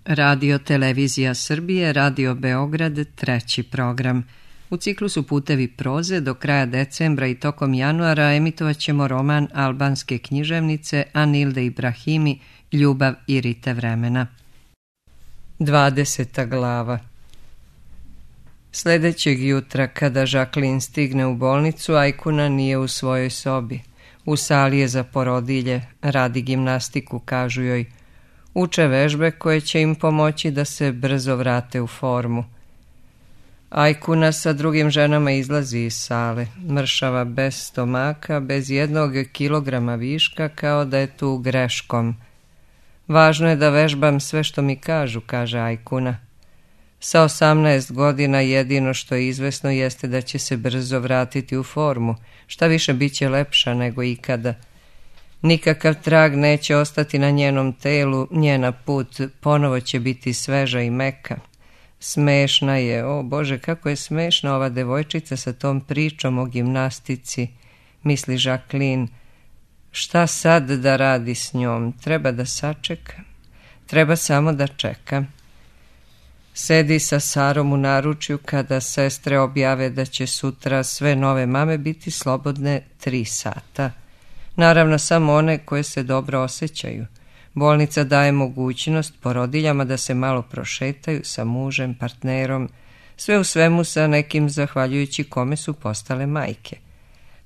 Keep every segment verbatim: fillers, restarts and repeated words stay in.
Radio Televizija Srbije, Radio Beograd, treći program. U ciklusu Putevi proze do kraja decembra i tokom januara emitovat ćemo roman albanske književnice Anilde Ibrahimi Ljubav i rite vremena. dvadeseta glava. Sljedećeg jutra, kada Jacqueline stigne u bolnicu, Ajkuna nije u svojoj sobi. U sali je za porodilje, radi gimnastiku, kažu joj. Uče vežbe koje će im pomoći da se brzo vrate u formu. Ajkuna sa drugim ženama izlazi iz sale, mršava bez stomaka, bez jednog kilograma viška, kao da je tu greškom. Važno je da vežbam sve što mi kažu, kaže Ajkuna. Sa osamnaest godina jedino što je izvesno jeste da će se brzo vratiti u formu, šta više bit će lepša nego ikada. Nikakav trag neće ostati na njenom telu, njena put ponovo će biti sveža i meka. Smešna je, o Bože, kako je smešna ova devojčica sa tom pričom o gimnastici, misli Jacqueline. Šta sad da radi s njom? Treba da sačeka. Treba samo da čeka. Sedi sa Sarom u naručju kada sestre objave da će sutra sve nove mame biti slobodne tri sata. Naravno samo one koje se dobro osjećaju. Bolnica daje mogućnost porodiljama da se malo prošetaju sa mužem, partnerom, sve u svemu sa nekim zahvaljujući kome su postale majke.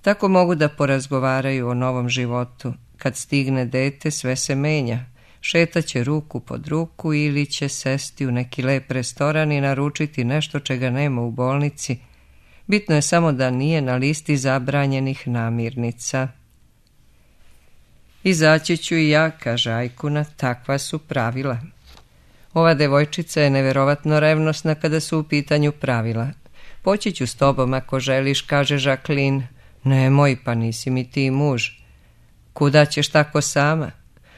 Tako mogu da porazgovaraju o novom životu. Kad stigne dete, sve se menja. Šetaće ruku pod ruku ili će sesti u neki lep restoran i naručiti nešto čega nema u bolnici. Bitno je samo da nije na listi zabranjenih namirnica. Izaći ću i ja, kaže Ajkuna, takva su pravila. Ova devojčica je neverovatno revnosna kada su u pitanju pravila. Poći ću s tobom ako želiš, kaže Jacqueline. Nemoj, pa nisi mi ti muž. Kuda ćeš tako sama?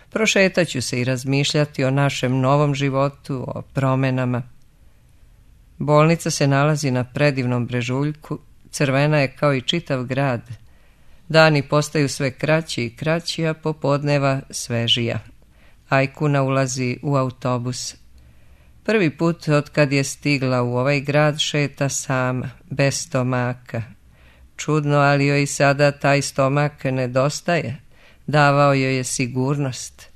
Prošetaću se i razmišljati o našem novom životu, o promenama. Bolnica se nalazi na predivnom brežuljku, crvena je kao i čitav grad. Dani postaju sve kraći i kraći, a popodneva svežija. Ajkuna ulazi u autobus. Prvi put od kad je stigla u ovaj grad šeta sama, bez stomaka. Čudno, ali joj i sada taj stomak nedostaje. Davao joj je sigurnost.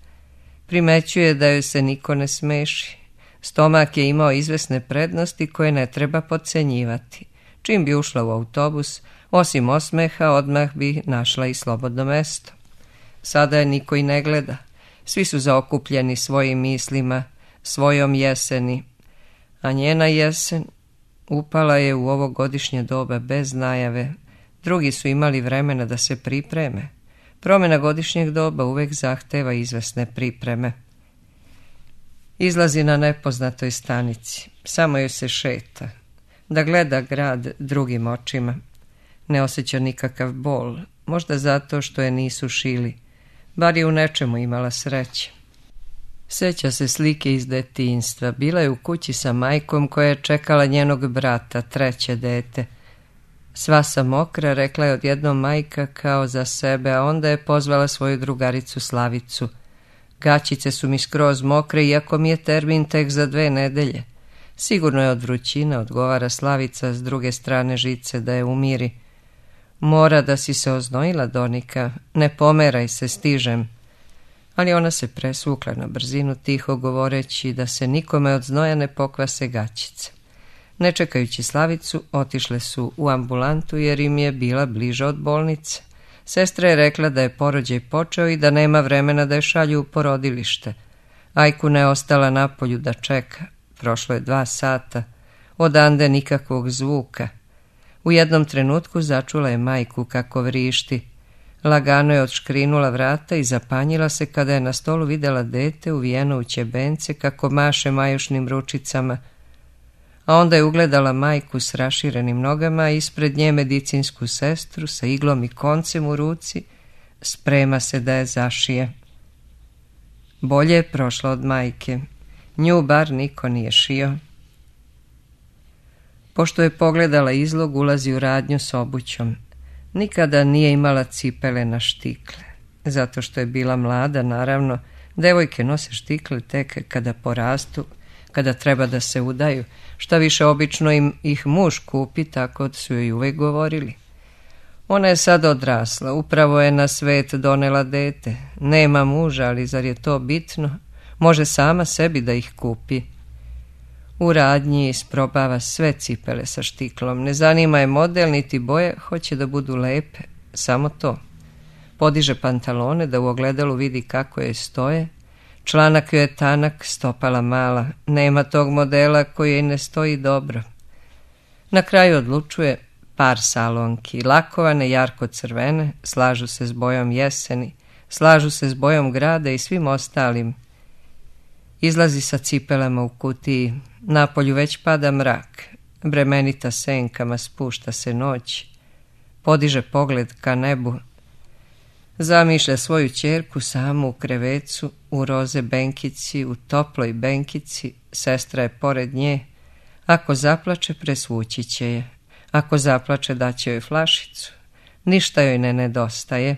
Primećuje da joj se niko ne smeši. Stomak je imao izvesne prednosti koje ne treba podcenjivati. Čim bi ušla u autobus, osim osmeha, odmah bi našla i slobodno mesto. Sada je niko i ne gleda. Svi su zaokupljeni svojim mislima, svojom jeseni. A njena jesen upala je u ovo godišnje doba bez najave. Drugi su imali vremena da se pripreme. Promjena godišnjeg doba uvek zahteva izvesne pripreme. Izlazi na nepoznatoj stanici. Samo joj se šeta. Da gleda grad drugim očima. Ne osjeća nikakav bol. Možda zato što je nisu šili. Bar je u nečemu imala sreće. Sjeća se slike iz detinjstva. Bila je u kući sa majkom koja je čekala njenog brata, treće dete. Sva sam mokra, rekla je odjednom majka kao za sebe, a onda je pozvala svoju drugaricu Slavicu. Gaćice su mi skroz mokre, iako mi je termin tek za dve nedelje. Sigurno je od vrućine, odgovara Slavica s druge strane žice da je umiri. Mora da si se oznojila, Donika, ne pomeraj se, stižem. Ali ona se presvukla na brzinu, tiho govoreći da se nikome od znoja ne pokvase gaćice. Ne čekajući Slavicu, otišle su u ambulantu jer im je bila bliža od bolnice. Sestra je rekla da je porođaj počeo i da nema vremena da je šalju u porodilište. Ajkuna je ostala napolju da čeka. Prošlo je dva sata. Odande nikakvog zvuka. U jednom trenutku začula je majku kako vrišti. Lagano je odškrinula vrata i zapanjila se kada je na stolu vidjela dete uvijeno u ćebence kako maše majušnim ručicama. A onda je ugledala majku s raširenim nogama, a ispred nje medicinsku sestru sa iglom i koncem u ruci. Sprema se da je zašije. Bolje je prošla od majke. Nju bar niko nije šio. Pošto je pogledala izlog, ulazi u radnju s obućom. Nikada nije imala cipele na štikle. Zato što je bila mlada, naravno, Devojke nose štikle tek kada porastu, kada treba da se udaju, šta više obično im ih muž kupi, tako su joj uvek govorili. Ona je sad odrasla, upravo je na svet donela dete, nema muža, ali zar je to bitno? Može sama sebi da ih kupi. U radnji isprobava sve cipele sa štiklom, ne zanima je model niti boje, hoće da budu lepe, samo to. Podiže pantalone da u ogledalu vidi kako je stoje, članak joj je tanak, stopala mala, nema tog modela koji joj ne stoji dobro. Na kraju odlučuje par salonki, lakovane, jarko crvene, slažu se s bojom jeseni, slažu se s bojom grada i svim ostalim. Izlazi sa cipelama u kutiji, napolju već pada mrak, bremenita senkama spušta se noć, podiže pogled ka nebu, zamišlja svoju ćerku samu u krevecu, u roze benkici, u toploj benkici, sestra je pored nje, ako zaplače presvući će je, ako zaplače daće joj flašicu, ništa joj ne nedostaje.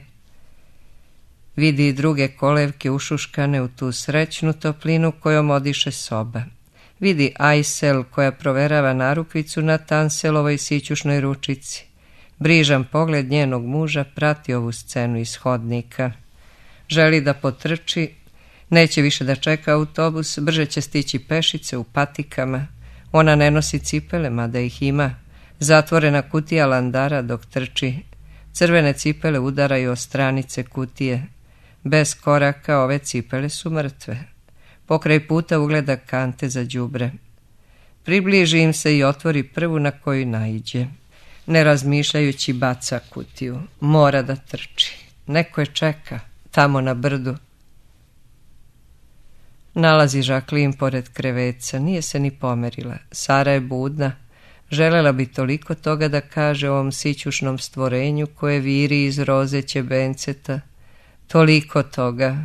Vidi i druge kolevke ušuškane u tu srećnu toplinu kojom odiše soba. Vidi Ajsel koja proverava narukvicu na Tanselovoj sićušnoj ručici. Brižan pogled njenog muža prati ovu scenu iz hodnika. Želi da potrči, neće više da čeka autobus, brže će stići pešice u patikama. Ona ne nosi cipele, mada ih ima. Zatvorena kutija landara dok trči. Crvene cipele udaraju o stranice kutije. Bez koraka ove cipele su mrtve. Pokraj puta ugleda kante za đubre. Približi im se i otvori prvu na koju naiđe. Ne razmišljajući baca kutiju. Mora da trči. Neko je čeka, tamo na brdu. Nalazi Žaklin pored kreveca. Nije se ni pomerila. Sara je budna. Želela bi toliko toga da kaže ovom sićušnom stvorenju koje viri iz roze ćebenceta. Toliko toga.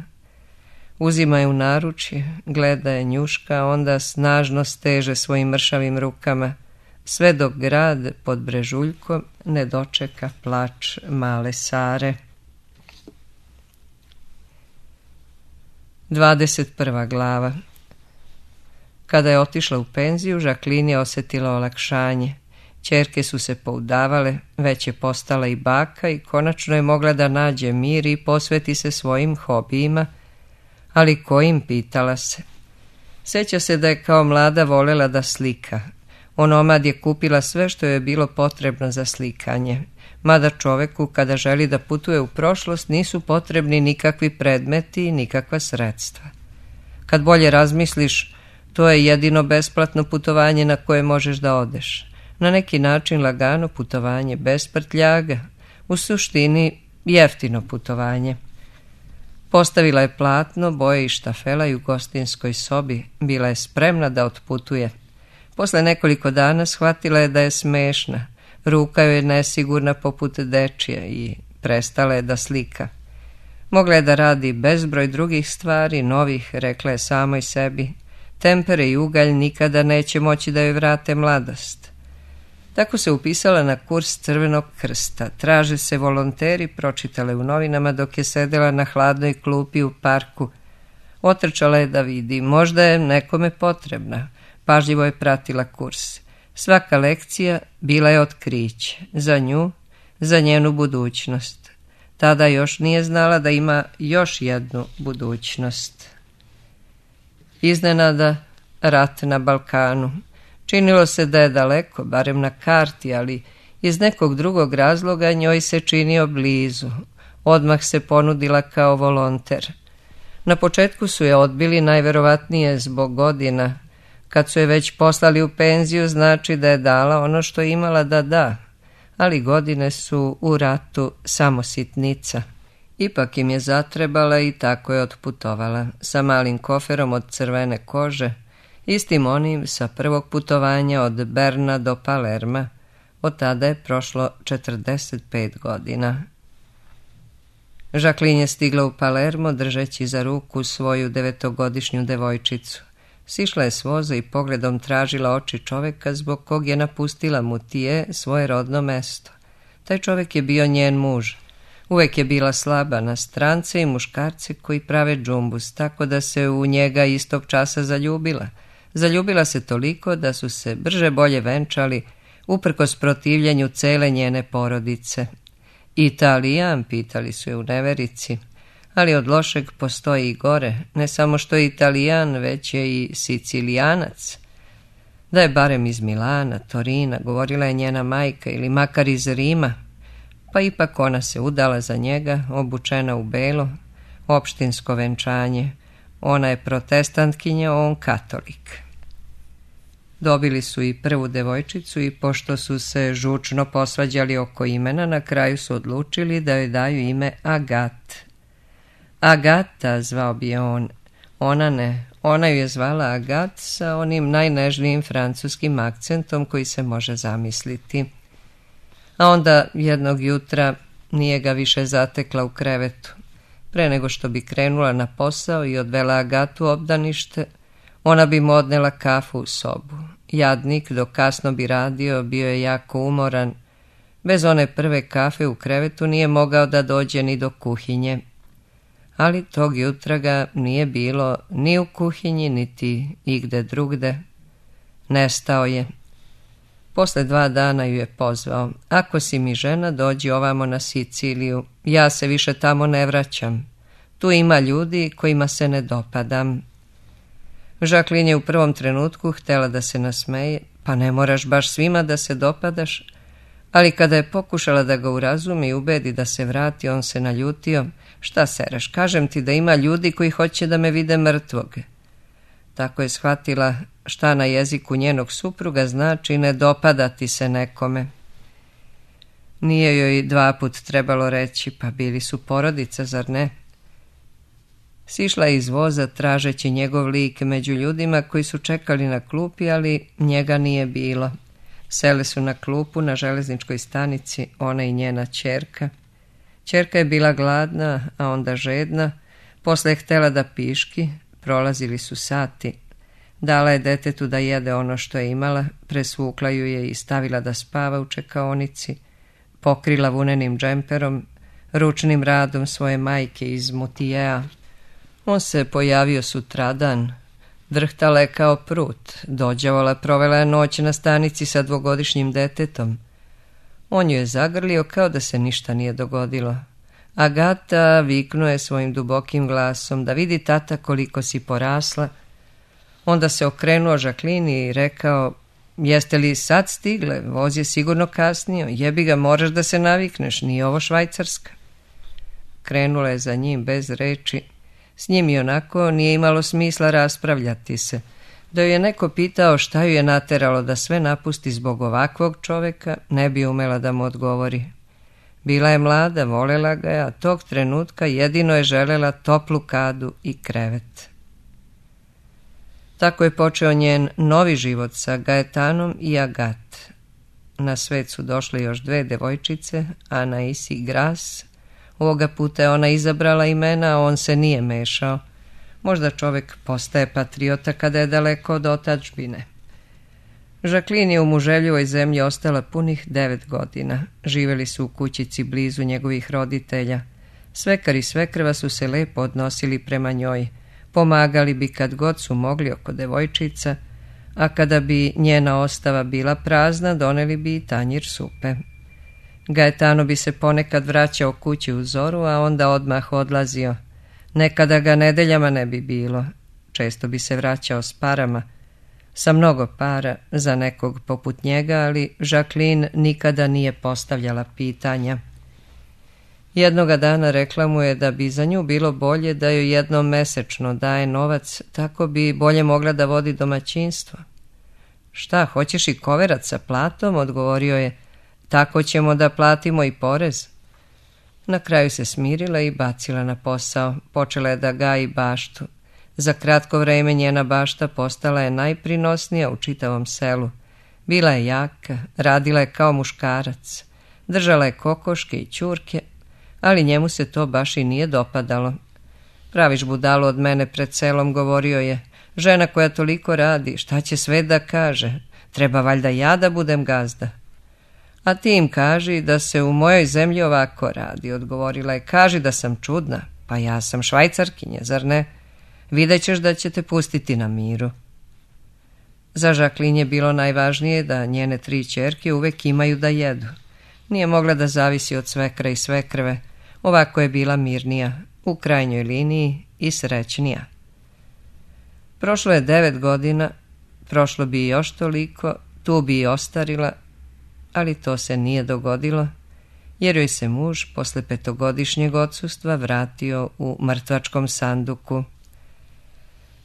Uzima je u naručje, gleda je, njuška, onda snažno steže svojim mršavim rukama, sve dok grad pod brežuljkom ne dočeka plač male Sare. dvadeset prva glava. Kada je otišla u penziju, Žaklin je osjetila olakšanje. Ćerke su se poudavale, već je postala i baka i konačno je mogla da nađe mir i posveti se svojim hobijima, ali kojim, pitala se. Sjeća se da je kao mlada volela da slika. Onomad je kupila sve što je bilo potrebno za slikanje, mada čoveku kada želi da putuje u prošlost nisu potrebni nikakvi predmeti i nikakva sredstva. Kad bolje razmisliš, to je jedino besplatno putovanje na koje možeš da odeš. Na neki način lagano putovanje, bez prtljaga, u suštini jeftino putovanje. Postavila je platno, boje i štafela i u gostinskoj sobi, bila je spremna da otputuje. Posle nekoliko dana shvatila je da je smešna, ruka joj je nesigurna poput dečija i prestala je da slika. Mogla je da radi bezbroj drugih stvari, novih, rekla je samoj sebi. Tempere i ugalj nikada neće moći da joj vrate mladost. Tako se upisala na kurs Crvenog krsta. Traže se volonteri, pročitale u novinama dok je sedela na hladnoj klupi u parku. Otrčala je da vidi, možda je nekome potrebna. Pažljivo je pratila kurs. Svaka lekcija bila je otkriće. Za nju, za njenu budućnost. Tada još nije znala da ima još jednu budućnost. Iznenada, rat na Balkanu. Činilo se da je daleko, barem na karti, ali iz nekog drugog razloga njoj se činio blizu. Odmah se ponudila kao volonter. Na početku su je odbili najverovatnije zbog godina. Kad su je već poslali u penziju, znači da je dala ono što je imala da da. Ali godine su u ratu samo sitnica. Ipak im je zatrebala i tako je otputovala, sa malim koferom od crvene kože, istim onim sa prvog putovanja od Berna do Palerma. Od tada je prošlo četrdeset pet godina. Žaklin je stigla u Palermo držeći za ruku svoju devetogodišnju devojčicu. Sišla je s voza i pogledom tražila oči čoveka zbog kog je napustila Mutije, svoje rodno mesto. Taj čovek je bio njen muž. Uvek je bila slaba na strance i muškarce koji prave džumbus, tako da se u njega istog časa zaljubila. Zaljubila se toliko da su se brže bolje venčali, uprkos protivljenju cele njene porodice. Italijan, pitali su je u neverici, ali od lošeg postoji i gore, ne samo što je Italijan, već je i Sicilijanac. Da je barem iz Milana, Torina, govorila je njena majka, ili makar iz Rima, pa ipak ona se udala za njega, obučena u belo, opštinsko venčanje. Ona je protestantkinja, on katolik. Dobili su i prvu devojčicu i pošto su se žučno posvađali oko imena, na kraju su odlučili da joj daju ime Agat. Agata zvao bi je on, ona ne, ona ju je zvala Agat sa onim najnežnijim francuskim akcentom koji se može zamisliti. A onda jednog jutra nije ga više zatekla u krevetu. Pre nego što bi krenula na posao i odvela Agatu u obdanište, ona bi mu odnela kafu u sobu. Jadnik, dok kasno bi radio, bio je jako umoran. Bez one prve kafe u krevetu nije mogao da dođe ni do kuhinje. Ali tog jutra ga nije bilo ni u kuhinji, niti igde drugde. Nestao je. Posle dva dana ju je pozvao. Ako si mi žena, dođi ovamo na Siciliju. Ja se više tamo ne vraćam. Tu ima ljudi kojima se ne dopadam. Jacqueline je u prvom trenutku htjela da se nasmeje, pa ne moraš baš svima da se dopadaš, ali kada je pokušala da ga urazumi i ubedi da se vrati, on se naljutio. Šta sereš, kažem ti da ima ljudi koji hoće da me vide mrtvog. Tako je shvatila šta na jeziku njenog supruga znači ne dopadati se nekome. Nije joj dva put trebalo reći, pa bili su porodica, zar ne? Sišla je iz voza tražeći njegov lik među ljudima koji su čekali na klupi, ali njega nije bilo. Sele su na klupu na železničkoj stanici, ona i njena ćerka. Ćerka je bila gladna, a onda žedna, posle je htjela da piški, prolazili su sati. Dala je detetu da jede ono što je imala, presvukla ju je i stavila da spava u čekaonici, pokrila vunenim džemperom, ručnim radom svoje majke iz Mutijea. On se pojavio sutradan, drhtala je kao prut, dođavala, provela je noć na stanici sa dvogodišnjim detetom. On ju je zagrlio kao da se ništa nije dogodilo. Agata viknuo je svojim dubokim glasom da vidi tata koliko si porasla. Onda se okrenuo Jacqueline i rekao, jeste li sad stigle, voz je sigurno kasnio, jebi ga, moraš da se navikneš, nije ovo Švajcarska. Krenula je za njim bez reči. S njim i onako nije imalo smisla raspravljati se. Da ju je neko pitao šta ju je nateralo da sve napusti zbog ovakvog čoveka, ne bi umela da mu odgovori. Bila je mlada, volela ga je, a tog trenutka jedino je želela toplu kadu i krevet. Tako je počeo njen novi život sa Gaetanom i Agat. Na svet su došle još dve devojčice, Anais i Gras. Ovoga puta je ona izabrala imena, a on se nije mešao. Možda čovek postaje patriota kada je daleko od otadžbine. Jacqueline je u muželjivoj zemlji ostala punih devet godina. Živeli su u kućici blizu njegovih roditelja. Svekar i svekrva su se lepo odnosili prema njoj. Pomagali bi kad god su mogli oko devojčica, a kada bi njena ostava bila prazna, doneli bi i tanjir supe. Gaetano bi se ponekad vraćao kući u zoru, a onda odmah odlazio. Nekada ga nedeljama ne bi bilo. Često bi se vraćao s parama. Sa mnogo para za nekog poput njega, ali Jacqueline nikada nije postavljala pitanja. Jednoga dana rekla mu je da bi za nju bilo bolje da joj jednom mesečno daje novac, tako bi bolje mogla da vodi domaćinstvo. Šta, hoćeš i koverac sa platom? Odgovorio je. Tako ćemo da platimo i porez. Na kraju se smirila i bacila na posao. Počela je da gaji baštu. Za kratko vreme njena bašta postala je najprinosnija u čitavom selu. Bila je jaka, radila je kao muškarac. Držala je kokoške i ćurke, ali njemu se to baš i nije dopadalo. Praviš budalu od mene pred selom, govorio je. Žena koja toliko radi, šta će sve da kaže? Treba valjda ja da budem gazda. A ti im kaži da se u mojoj zemlji ovako radi, odgovorila je. Kaži da sam čudna, pa ja sam Švajcarkinja, zar ne? Vidjet ćeš da će te pustiti na miru. Za Jacqueline je bilo najvažnije da njene tri ćerke uvek imaju da jedu. Nije mogla da zavisi od svekra i svekrve, ovako je bila mirnija, u krajnjoj liniji i srećnija. Prošlo je devet godina, prošlo bi i još toliko, tu bi i ostarila, ali to se nije dogodilo, jer joj se muž posle petogodišnjeg odsustva vratio u mrtvačkom sanduku.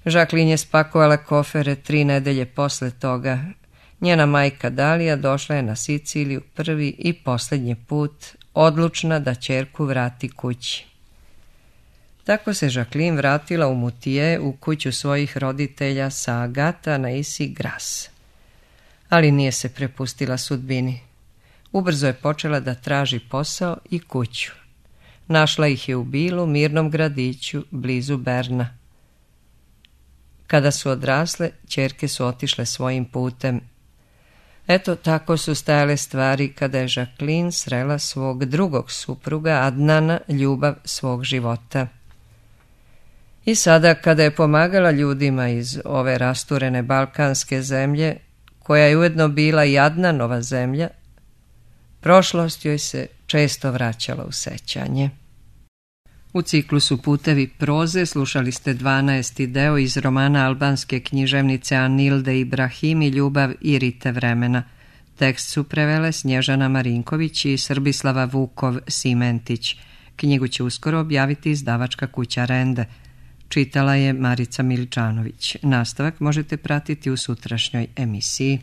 Jacqueline je spakovala kofere tri nedelje posle toga. Njena majka Dalija došla je na Siciliju prvi i posljednji put, odlučna da ćerku vrati kući. Tako se Jacqueline vratila u Mutije, u kuću svojih roditelja sa Agata na Isi Gras. Ali nije se prepustila sudbini. Ubrzo je počela da traži posao i kuću. Našla ih je u Bilu, mirnom gradiću, blizu Berna. Kada su odrasle, ćerke su otišle svojim putem. Eto, tako su stajale stvari kada je Jacqueline srela svog drugog supruga, Adnana, ljubav svog života. I sada, kada je pomagala ljudima iz ove rasturene balkanske zemlje, koja je ujedno bila i Adnanova zemlja, prošlost joj se često vraćala u sećanje. U ciklusu Putevi proze slušali ste dvanaesti deo iz romana albanske književnice Anilde Ibrahim i Ljubav i rite vremena. Tekst su prevele Snježana Marinković i Srbislava Vukov-Simentić. Knjigu će uskoro objaviti izdavačka kuća Rende. Čitala je Marica Miličanović. Nastavak možete pratiti u sutrašnjoj emisiji.